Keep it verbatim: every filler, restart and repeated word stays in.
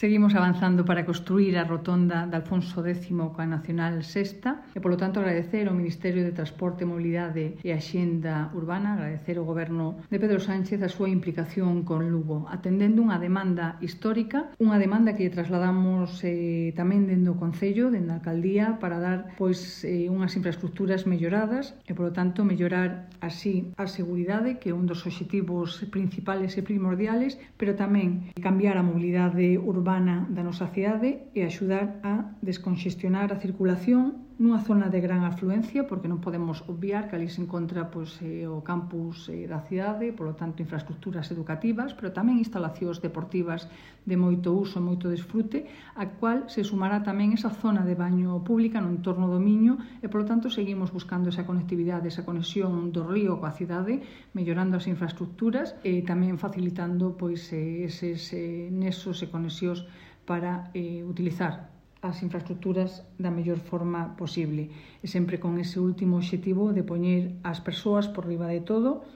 Seguimos avanzando para construir a rotonda de Alfonso décimo coa Nacional Sexta e, polo tanto, agradecer ao Ministerio de Transporte, Mobilidade e Axenda Urbana, agradecer ao Goberno de Pedro Sánchez a súa implicación con Lugo, atendendo unha demanda histórica, unha demanda que trasladamos eh, tamén dende o Concello, dende a Alcaldía, para dar pois eh, unhas infraestructuras melloradas e, polo tanto, mellorar así a seguridade, que é un dos obxectivos principales e primordiales, pero tamén cambiar a mobilidade urbana da nosa cidade e axudar a desconxestionar a circulación nunha zona de gran afluencia, porque non podemos obviar que ali se encontra pois, eh, o campus eh, da cidade, polo tanto infraestructuras educativas, pero tamén instalacións deportivas de moito uso e moito desfrute, a cual se sumará tamén esa zona de baño pública no entorno do Miño e, polo tanto, seguimos buscando esa conectividade, esa conexión do río coa cidade, mellorando as infraestructuras e tamén facilitando pois, eh, eses eh, nesos e conexións para eh, utilizar as infraestructuras da mellor forma posible e sempre con ese último obxectivo de poñer as persoas por riba de todo